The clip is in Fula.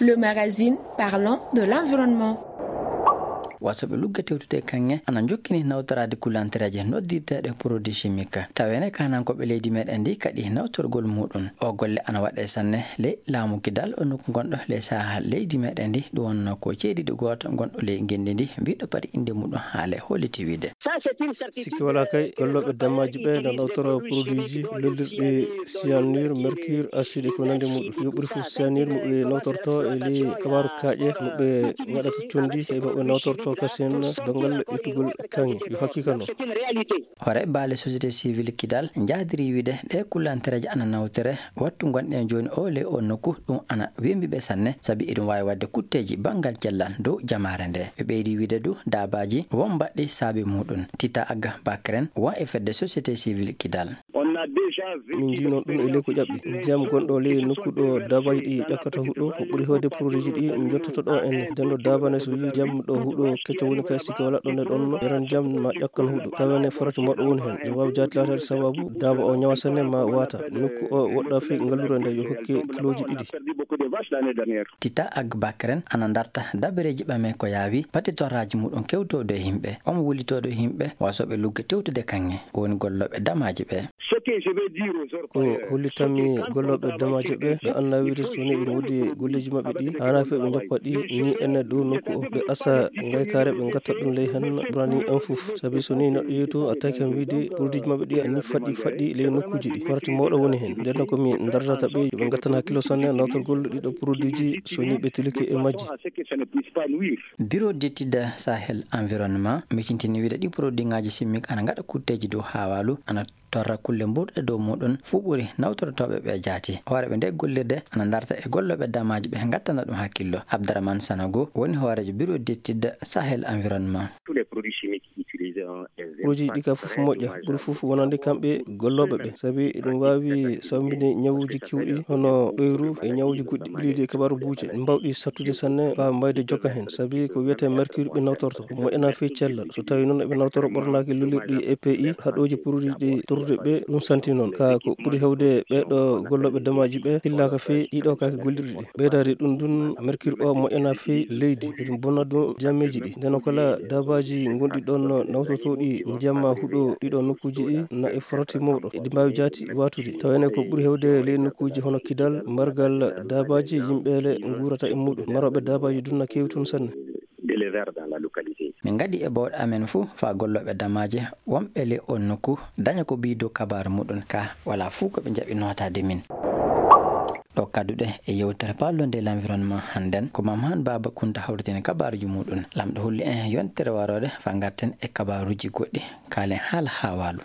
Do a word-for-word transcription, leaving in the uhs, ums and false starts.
Le magazine parlant de l'environnement. Wasoɓe lugge tewtude e kaŋŋe ana njokkini nawtoraade kullantereeje noddirteeɗe produit chimique. Taweene kaanankooɓe leydi meɗen ndi kaɗi nawtorgol muɗum. O golle ana waɗe sanne ley laamu kidal o nokku gonɗo ley saha leydi meɗen ndi, ɗum wonno ko ceediɗo gooto gonɗo ley ngenndi ndi, mbiɗo pati innde muɗum haale holliti wiide. Sikke wala kay, gollooɓe dammaji ɓe na nawtora produitji lollirɗi cyanure, mercure, acide ko nandi muɗum. Yo ɓuri fof cyanure mo ɓe nawtorto e ley kabaru kaaƴe mo ɓe ngaɗata condi e mo ɓe nawtorto kasen dongal ittugol kaŋŋe. Yo hakkika noon. Hoore baale société civile kidal njaadiri wiide ɗe kullantereeje ana nawtere wattu gonɗen jooni o ley o nokku, ɗum ana wembi ɓe sanne sabi eɗum waawi waɗde kutteeji banngal cellal dow jamaare nde. Ɓe ɓeydi wiide du daabaaji won mbaɗɗi saabi muɗum. Tita Agga Bakren won e fedde société civile kidal. Min njiino ɗum e ley ko ƴaɓɓi. Ndiyam gonɗo ley nokku ɗo daabaaji ɗi ƴakkata huɗo ko ɓuri heewde produitji ɗi jottoto ɗo enne. Nden ɗo daabane so yii ndiyam ɗo huɗo kecco woni kay sikke wala ɗon e ɗon yaran ndiyam ma ƴakkan huɗo. Taweene farati moɗo woni heen. Ɗum waawi jaati laataade sababu daaba o ñawa sanne ma waata. Nokku o woɗɗa fii ngallure nde yo hokke kilooji ɗiɗi. Tita Agga Bakren ana darta dabareeji ɓame ko yaawi patitoraaji muɗum kewtoodo e yimɓe. Omo wullitoodo yimɓe wasooɓe lugge tewtude kaŋŋe woni gollooɓe damaaji ɓe. Ko hollitanmi gollooɓe damaaji ɓe, ɓe annda wiide so woni ɓe ngoodi golleeji maɓɓe ɗi, haanaa fii ɓe njoppa ɗi ni enne dow nokku o. Ɓe asa ngaykaare ɓe ngatta ɗum ley heen ɓurani en fof. Sabi so ni neɗɗo yehi to a tawi kam wiide produitji maɓɓe ɗi ani faɗɗi faɗɗi ley nokkuuji ɗi. Farati mawɗo woni heen. Nden noon ko mi dardata ɓe, yo ɓe ngattana hakkilo sanne nawtorgol ɗiɗo produitji so ni ɓe tilike e majji. Bureau d'étude Sahel Environnement micintini wiide ɗi produitŋaaji chimique ana ngaɗa kutteeji dow haawaalu, ana torra kulle mburɗe dow muɗum fuu ɓuri nawtortooɓe ɓe jaati. Hooreeɓe nde gollirde ana darta e gollooɓe damaaji ɓe ngattana ɗum hakkillo. Abdourahmane Sanogo woni hooreejo Bureau d'étude Sahel Environnement. Produitji ɗi ka fof moƴƴa, ɓuri fof wonande kamɓe gollooɓe ɓe, sabi eɗum waawi sawmbinde ñawuuji kewɗi hono ɗoyru e ñawuuji goɗɗi ɓileeji e kabaaru buuje, mbawɗi sattude sanne, mbaawa mbayde jokka heen, sabi ko wiyetee mercure ɓe nawtorto, ko moƴƴanaa fii cellal. So tawii noon eɓe nawtora ɓornaaki lollirɗi E P I, haɗooji produitji torrude ɓe, ɗum santi noon. Ka ko ɓuri heewde ɓeeɗo gollooɓe damaaji ɓe hillaaka fii ɗiɗo kaake gollirɗi ɗi. Ɓeydaade ɗum ɗum, mercure o moƴƴanaa fii leydi, eɗum bona ɗum ndiyammeeji ɗi. Ndeno kala daabaaji gonɗi ɗoon nawtotooɗi ndiyam ma huɗo ɗiɗo nokkuuji ɗi na e farati mawɗo. Eɗi mbaawi jaati waatude. Taweene ko ɓuri heewde ley nokkuuji hono Kidal, mbargal daabaaji yimɓeele nguurata e muɗum. Marooɓe daabaaji ɗum na keewi toon sanne. Min ngaɗi e bawɗe amen fof faa gollooɓe damaaji wonɓe ley oon nokku daña ko ɓiydo kabaaru muɗum ka wala fof ko ɓe njaɓi nootaade min. Ɗo kadduɗe e yewtere parlons de l'environnement hannden ko Mame Hann Baaba Kunta hawritini kabaaruuji muɗum. Laamɗo holli en yontere warooɗe faa ngarten e kabaaruuji goɗɗi. Kaalen haala haawaalu.